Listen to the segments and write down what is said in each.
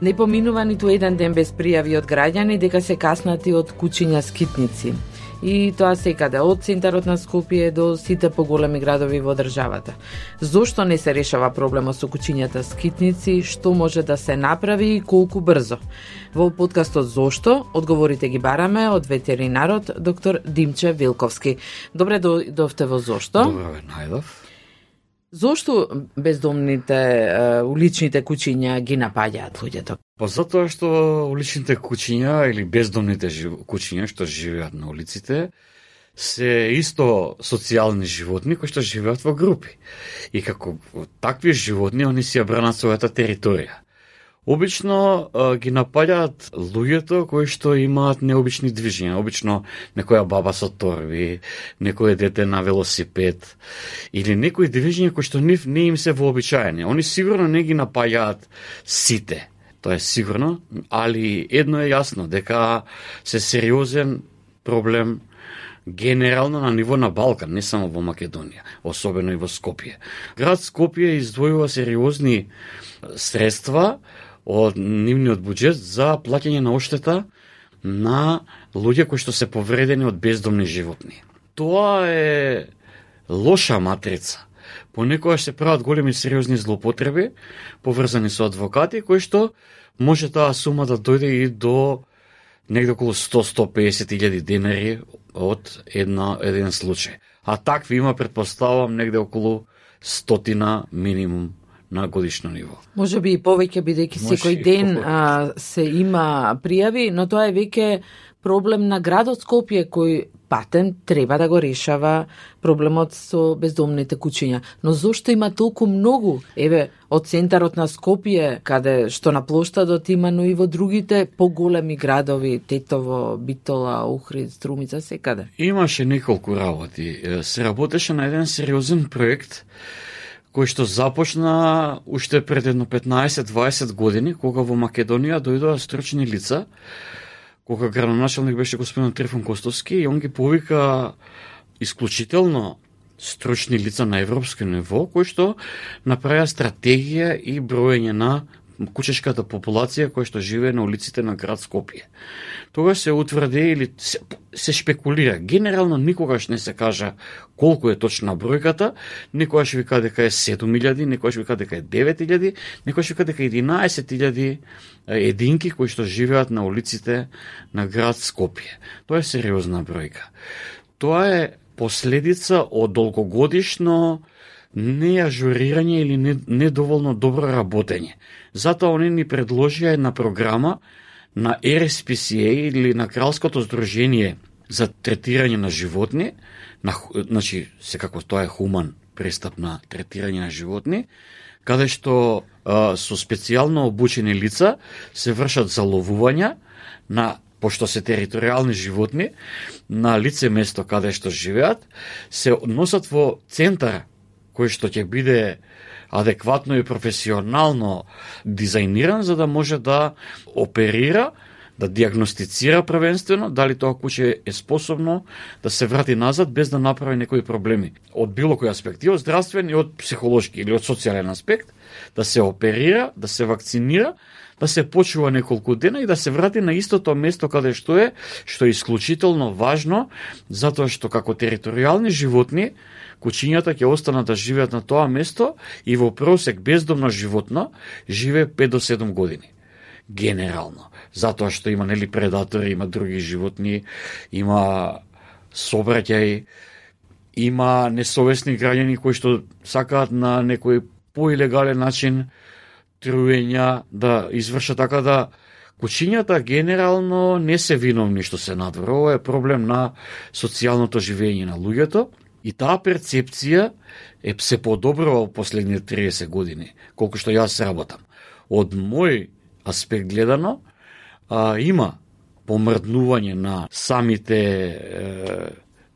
Не поминува ниту еден ден без пријави од граѓани дека се каснати од кучиња скитници. И тоа секаде, од центарот на Скопје до сите поголеми градови во државата. Зошто не се решава проблемот со кучињата скитници, што може да се направи и колку брзо? Во подкастот Зошто одговорите ги бараме од ветеринарот доктор Димче Вилковски. Добре дојдовте во Зошто. Добре, најдов. Зошто бездомните уличните кучиња ги напаѓаат луѓето? Па затоа што уличните кучиња или бездомните кучиња што живеат на улиците се исто социјални животни кои што живеат во групи. И како такви животни они си ја бранат својата територија. Обично ги напаѓаат луѓето кои што имаат необични движења, обично некоја баба со торби, некое дете на велосипед или некои движења кои што не им се вообичаени. Они сигурно не ги напаѓаат сите. Тоа е сигурно, али едно е јасно дека се сериозен проблем генерално на ниво на Балкан, не само во Македонија, особено и во Скопје. Град Скопје издвојува сериозни средства од нивниот буџет за плаќање на оштета на луѓе кои што се повредени од бездомни животни. Тоа е лоша матрица. Понекогаш се прават големи сериозни злоупотреби, поврзани со адвокати, кои што може таа сума да дојде и до негде околу 100-150 илјади денари од еден случај. А такви има, предпоставам, негде околу 100 минимум на годишно ниво. Може би и повеќе, бидејќи секој ден се има пријави, но тоа е веќе проблем на градот Скопје кој патен треба да го решава проблемот со бездомните кучиња. Но зошто има толку многу? Еве, од центарот на Скопје, каде што на плоштадот има, но и во другите поголеми градови, Тетово, Битола, Охрид, Струмица, секаде. Имаше неколку работи. Се работеше на еден сериозен проект кој што започна уште пред едно 15-20 години, кога во Македонија дојдоа стручни лица, кога градоначалник беше господин Трифон Костовски, и он ги повика исклучително стручни лица на европско ниво, кои што направија стратегија и броење на кучешката популација која што живее на улиците на град Скопје. Тогаш се утврди или се шпекулира. Генерално никогаш не се кажа колку е точна бројката, некогаш вика дека е 7.000, некогаш вика дека е 9.000, некогаш вика дека 11.000 единки кои што живеат на улиците на град Скопје. Тоа е сериозна бројка. Тоа е последица од долгогодишно неажурирање или недоволно добро работење. Затоа они ни предложија една програма на RSPCA или на Кралското здружение за третирање на животни, значи секако тоа е хуман пристап на третирање на животни, каде што со специјално обучени лица се вршат заловувања на, пошто се територијални животни, на лице место каде што живеат, се носат во центар кој што ќе биде адекватно и професионално дизајниран, за да може да оперира, да диагностицира првенствено дали тоа куче е способно да се врати назад без да направи некои проблеми. Од било кој аспект, и од здравствен, и од психолошки или од социјален аспект, да се оперира, да се вакцинира, да се почува неколку дена и да се врати на истото место каде што е исклучително важно, затоа што како територијални животни, кучињата ќе останат да живеат на тоа место и во просек бездомно животно живее 5 до 7 години. Генерално. Затоа што има предатори, има други животни, има собраќаи, има несовесни граѓани кои што сакаат на некој поилегален начин труења да извршат, така да кучињата генерално не се виновни што се надвор. Ова е проблем на социјалното живење на луѓето и таа перцепција е се подобрува во последните 30 години, колку што јас работам. Од мој аспект гледано, има помрднување на самите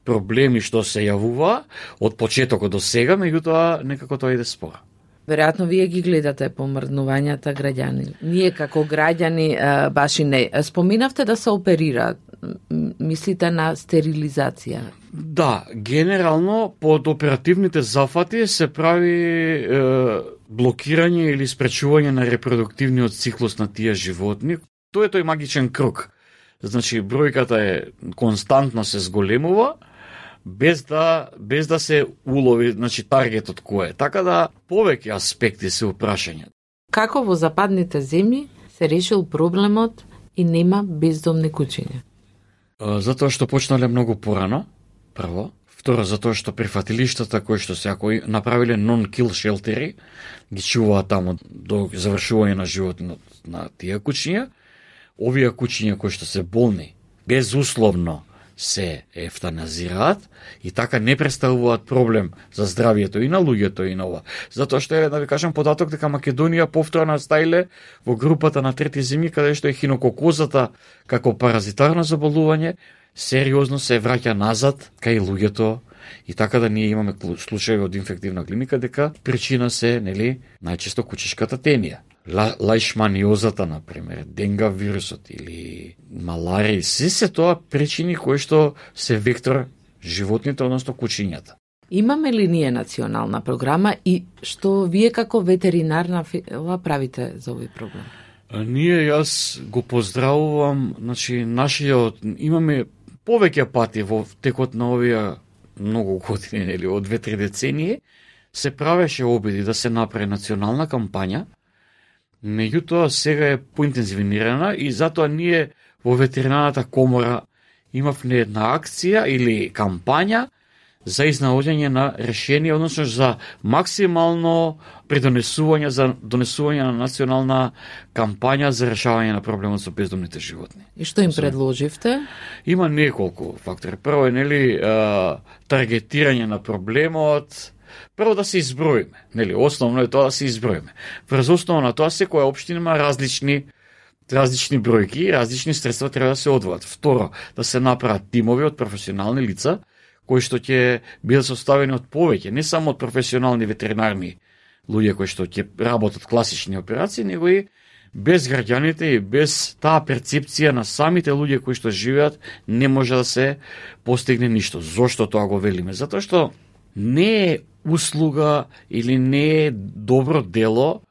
проблеми што се јавува од почетокот до сега, меѓутоа некако тоа иде спора. Веројатно вие ги гледате помрднувањата граѓани. Ние како граѓани баш и не. Споминавте да се оперираат. Мислите на стерилизација? Да, генерално под оперативните зафати се прави блокирање или спречување на репродуктивниот циклус на тие животни. Тоа е тој магичен круг. Значи, бројката е константно се зголемува, без да се улови, значи, таргетот кој е. Така да, повеќе аспекти се упрашање. Како во западните земји се решил проблемот и нема бездомни кучиња? Затоа што почнале многу порано, прво. Второ, затоа што прифатилиштата кои што се ако направиле non-kill шелтери, ги чуваат таму до завршување на животот на тие кучиња. Овие кучиња кои што се болни, безусловно се ефтаназираат и така не представуваат проблем за здравието и на луѓето и на ова. Затоа што е, да ви кажам податок дека Македонија повторно стаиле во групата на трети земји каде што е хинококозата како паразитарно заболување сериозно се враќа назад кај луѓето и така да ние имаме случаи од инфективна клиника дека причина се, нели, најчесто кучешката тенија. Лаишманиозата, например, денга вирусот или маларија, се тоа причини кои што се вектор животните, односно кучињата. Имаме ли ние национална програма и што вие како ветеринарна фила правите за овој проблем? Ние, јас го поздравувам, значи, имаме повеќе пати во текот на овие многу години, нели, од 2-3 децении, се правеше обиди да се направи национална кампања. Меѓутоа, сега е поинтензивнирана и затоа ние во ветеринарната комора имавме една акција или кампања за изнаоѓање на решение, односно за максимално придонесување за донесување на национална кампања за решавање на проблемот со бездомните животни. И што им предложивте? Има неколку фактори. Прво е, нели, таргетирање на проблемот. Прво да се изброиме, нели, основно е тоа да се изброиме. Врз основа на тоа секоја општина има различни бројки и различни средства треба да се одвојат. Второ, да се направат тимови од професионални лица кои што ќе бидат составени од повеќе, не само од професионални ветеринарни луѓе кои што ќе работат класични операции, него и без граѓаните и без таа перцепција на самите луѓе кои што живеат не може да се постигне ништо. Зошто тоа го велиме? Затоа што не е услуга или не е добро дело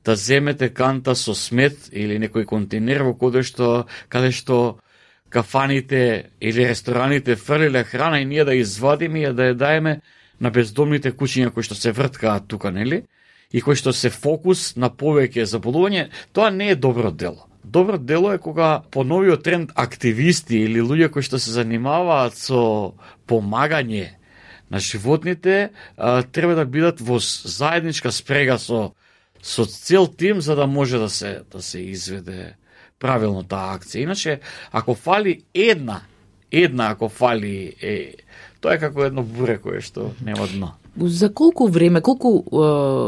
да земете канта со смет или некој контейнер во каде што кафаните или рестораните фрлиле храна и ние да извадиме и да ја даеме на бездомните кучиња кои што се врткаат тука, нели? И кои што се фокус на повеќе заболување, тоа не е добро дело. Добро дело е кога по новиот тренд активисти или луѓе кои што се занимаваат со помагање на животните треба да бидат во заедничка спрега со цел тим за да може да се изведе правилно таа акција. Иначе, ако фали една ако фали, тоа е како едно буре кое што нема дно. За колку време, колку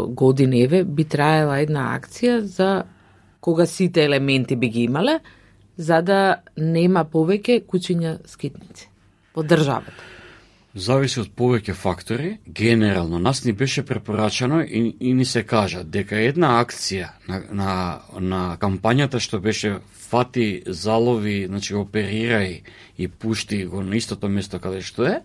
години би траела една акција за кога сите елементи би ги имале, за да нема повеќе кучиња скитници во државата? Зависи од повеќе фактори. Генерално, нас ни беше препорачано и ни се кажа дека една акција на кампањата што беше фати, залови, значи оперирај и пушти го на истото место каде што е,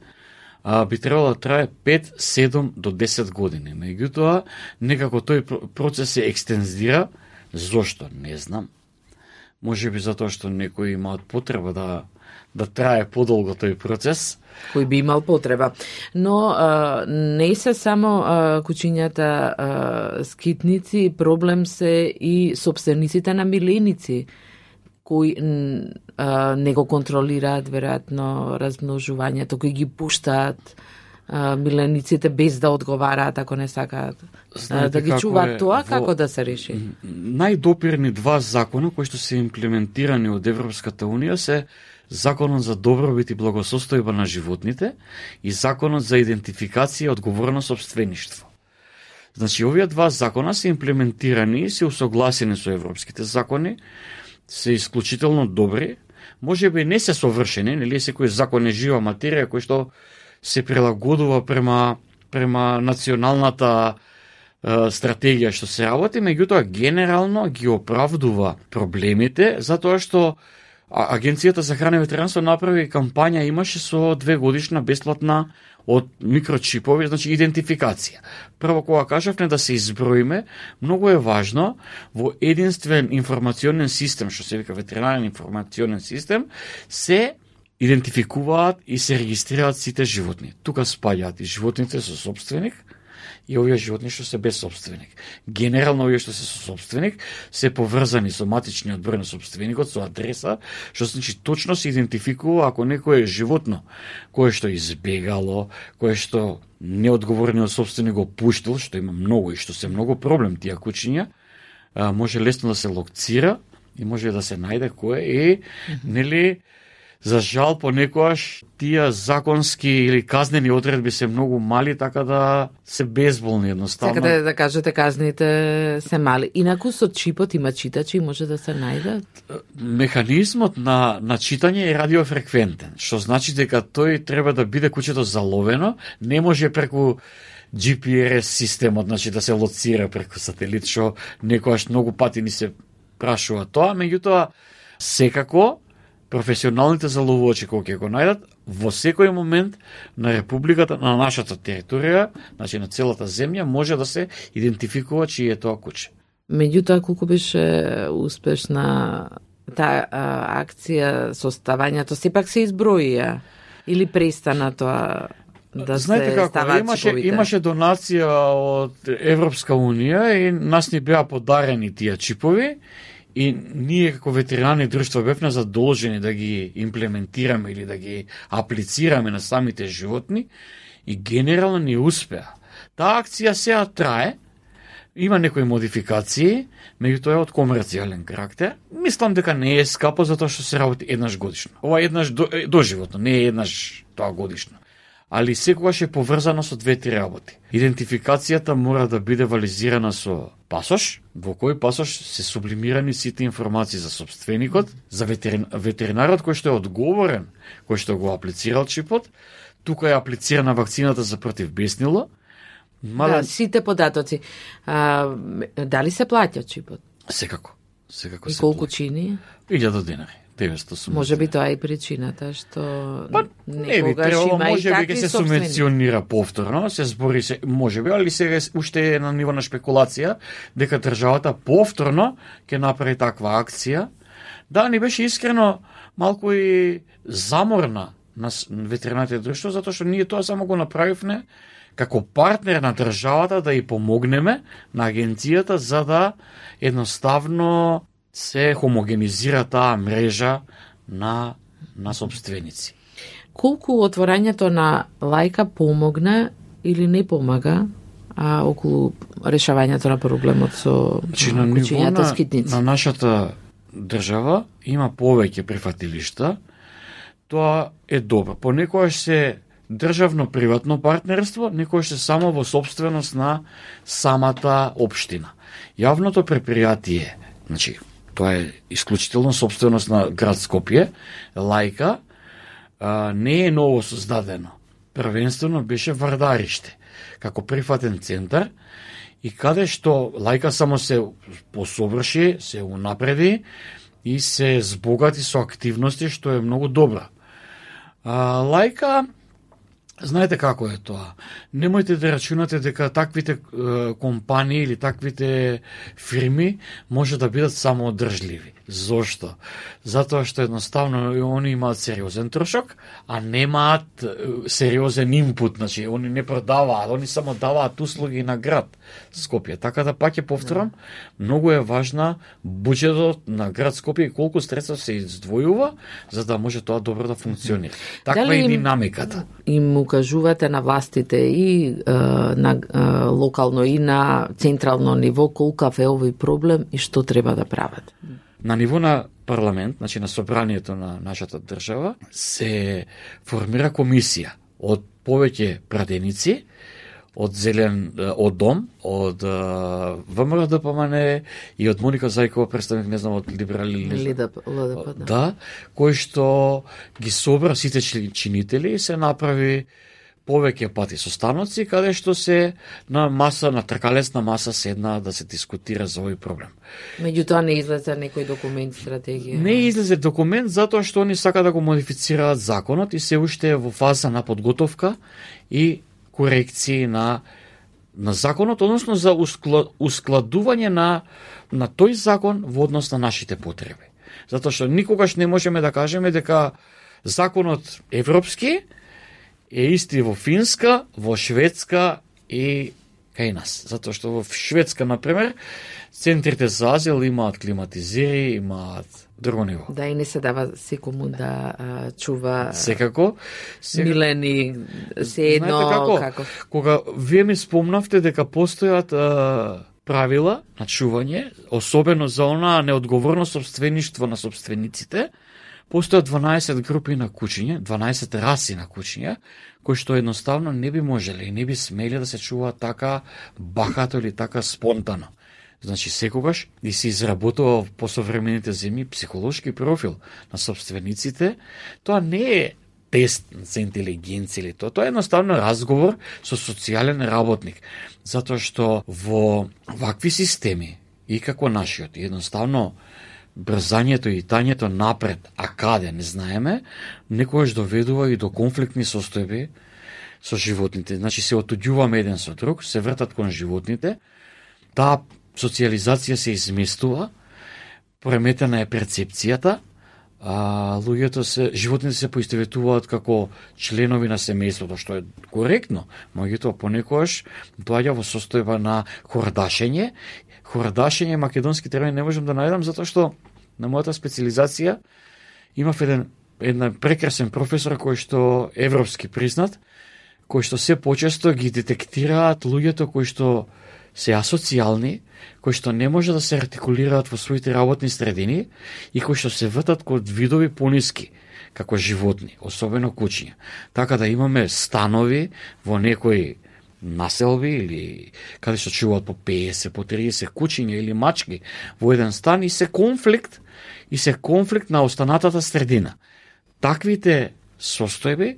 би требало да трае 5, 7 до 10 години. Меѓутоа, некако тој процес се екстензира. Зошто? Не знам. Може би затоа што некои имаат потреба да трае подолго тој процес. Кој би имал потреба. Но не се само кучињата скитници, проблем се и собствениците на миленици, кои не го контролираат веројатно размножувањето, кои ги пуштаат милениците без да одговараат ако не сакаат да ги чуваат тоа, како да се реши? Најдопирни два закона кои што се имплементирани од Европската Унија се Законот за добробит и благосостојба на животните и Законот за идентификација и одговорно сопствеништво. Значи, овие два закона се имплементирани и се усогласени со европските закони, се исклучително добри, може би не се совршени, нели секој закон е жива материја кој што се прилагодува према националната стратегија што се работи, меѓутоа генерално ги оправдува проблемите, затоа што Агенцијата за храна и ветеринарство направи кампања, имаше со 2 годишна бесплатна од микрочипови, значи идентификација. Прво кога кажавме да се изброиме, многу е важно во единствен информационен систем, што се вика ветеринарен информационен систем, се идентификуваат и се регистрираат сите животни. Тука спаѓаат и животните со собственик и овие животни што се без собственик. Генерално овие што се со собственик се поврзани со матичниот број на собственикот, со адреса, што значи точно се идентификува ако некое животно кое што избегало, кое што неодговорниот собственик го пуштил, што има многу и што се многу проблем тие кучиња, може лесно да се локцира и може да се најде кој е, нели. За жал, понекогаш тие законски или казнени одредби се многу мали, така да се безболни едноставно. Сакате да кажете казните се мали. Инаку со чипот има читачи, може да се најдат? Механизмот на читање е радиофреквентен, што значи дека тој треба да биде кучето заловено, не може преку GPS системот, значи да се лоцира преку сателит, што некогаш многу пати ни се прашува тоа, меѓутоа секако професионалните заловувачи кога ќе го најдат во секој момент на републиката, на нашата територија, значи на целата земја, може да се идентификува чие е тоа куче. Меѓутоа, колку беше успешна таа акција со ставањето, сепак се изброија или престана тоа да знаете се ставаат чиповите? Имаше донација од Европска унија и нас ни беа подарени тие чипови. И ние како ветеринарни друштва бевме задолжени да ги имплементираме или да ги аплицираме на самите животни и генерално ни успеа. Таа акција сега трае, има некои модификации, меѓутоа е од комерцијален карактер. Мислам дека не е скапо затоа што се работи еднаш годишно. Ова е еднаш доживотно, не е еднаш тоа годишно. Али секогаш е поврзано со 2-3 работи. Идентификацијата мора да биде вализирана со пасош, во кој пасош се сублимирани сите информации за собственикот, за ветеринарот кој што е одговорен, кој што го аплицирал чипот, тука е аплицирана вакцината за против беснило. Да, сите податоци. Дали се плаќа чипот? Секако и се колку чини? 1000 денари. 980. Може би тоа е причината што не би требало, може би ќе се субвенционира повторно, се збори се, може би, али сега уште е на ниво на шпекулација дека државата повторно ќе направи таква акција. Да, ни беше искрено малку и заморна на ветеринарните друштва, затоа што ние тоа само го направивме како партнер на државата да ја помогнеме на агенцијата за да едноставно се хомогенизира таа мрежа на собственици. Колку отворањето на лајка помогна или не помага околу решавањето на проблемот со кучињата скитници? На нашата држава има повеќе прифатилишта. Тоа е добро. Понекогаш се државно-приватно партнерство, некогаш се само во собственост на самата општина. Јавното предпријатие, значи тоа е исклучително собственост на град Скопје, лајка, не е ново создадено. Првенствено беше Вардариште, како прифатен центар, и каде што лајка само се посоврши, се унапреди и се збогати со активности, што е многу добра. Лајка, знаете како е тоа. Немојте да рачунате дека таквите компании или таквите фирми може да бидат самоодржливи. Зошто? Затоа што едноставно они имаат сериозен трошок, а немаат сериозен инпут, значи они не продаваат, они само даваат услуги на град Скопје. Така да пак ќе повторам, многу е важна буџетот на град Скопје и колку средства се издвојува за да може тоа добро да функционира. Таква е динамиката. Им укажувате на властите и на локално и на централно ниво колкав е овој проблем и што треба да прават? На ниво на парламент, значи на собранието на нашата држава, се формира комисија од повеќе пратеници, од Дом, од ВМРО ДПМН и од Моника Зајкова, представник, не знам, од Либерали, ЛДП, да, кој што ги собра сите чинители и се направи повеќе пати состаноци каде што се на маса, на тркалесна маса седна да се дискутира за овој проблем. Меѓутоа не излезе некој документ, стратегија. Не излезе документ затоа што они сака да го модифицираат законот и се уште е во фаза на подготовка и корекции на законот, односно за ускладување на тој закон во однос на нашите потреби. Затоа што никогаш не можеме да кажеме дека законот европски е исти во Финска, во Шведска и кај нас. Затоа што во Шведска, например, центрите за азил имаат климатизери, имаат друго ниво. Да, и не се дава секому да чува секако. милени, се едно како. Кога вие ми спомнавте дека постојат правила на чување, особено за она неодговорно собствеништво на собствениците, постојат 12 групи на кучиња, 12 раси на кучиња, кои што едноставно не би можеле и не би смели да се чуваат така бахато или така спонтано. Значи, секогаш и се изработува по современите земји психолошки профил на собствениците, тоа не е тест за интелигенција или тоа е едноставно разговор со социјален работник, затоа што во вакви системи и како нашиот, едноставно брзањето и тањето напред, а каде не знаеме, некогаш доведува и до конфликтни состојби со животните. Значи се отуѓуваме еден со друг, се вртат кон животните, таа социјализација се изместува, преметена е перцепцијата, животните се поистоветуваат како членови на семејството, што е коректно, меѓутоа понекогаш доаѓа во состојба на хордашење. Хордашење македонски термин не можам да најдам затоа што на мојата специализација имав еден прекрасен професор кој што европски признат, кој што се почесто ги детектираат луѓето кои што се асоцијални, кои што не може да се артикулираат во своите работни средини и кои што се вртат код видови пониски, како животни, особено кучиња. Така да имаме станови во некои населби или каде што чуваат по 50, по 30 кучиња или мачки во еден стан и се конфликт на останатата средина. Таквите состојби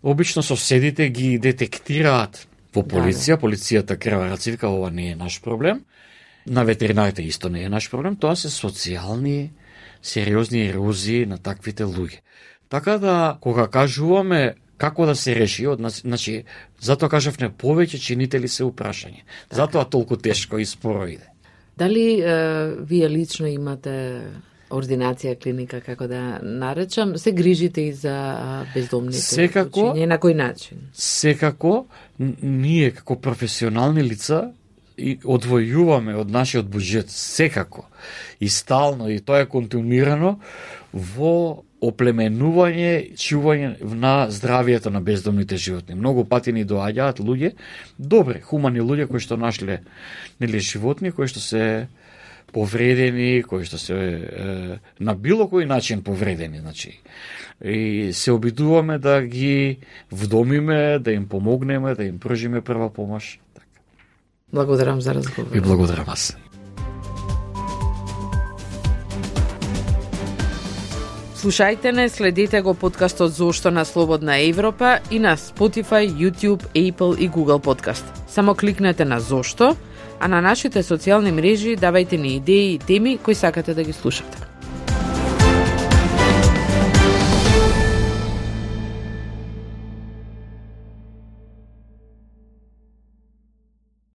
обично соседите ги детектираат во полиција, полицијата крива рацивка, ова не е наш проблем. На ветеринарите исто не е наш проблем, тоа се социјални, сериозни ерозии на таквите луѓе. Така да, кога кажуваме како да се реши, значи, затоа кажавме повеќе чинители се упрашање. Затоа толку тешко и споро иде. Дали вие лично имате ординација, клиника, како да наречам, се грижите и за бездомните кучиња, на кој начин? Секако, ние како професионални лица и одвојуваме од нашиот буџет, секако, и стално, и тоа е континуирано во оплеменување, чување на здравието на бездомните животни. Многу пати ни доаѓаат луѓе, добри, хумани луѓе кои што нашле животни, кои што се повредени, кои што се на било кој начин повредени, значи. И се обидуваме да ги вдомиме, да им помогнеме, да им пружиме прва помош. Така. Благодарам за разговор. И благодарам аз. Слушајте не, следете го подкастот Зошто на Слободна Европа и на Spotify, YouTube, Apple и Google Podcast. Само кликнете на Зошто, а на нашите социјални мрежи давајте ни идеи и теми кои сакате да ги слушате.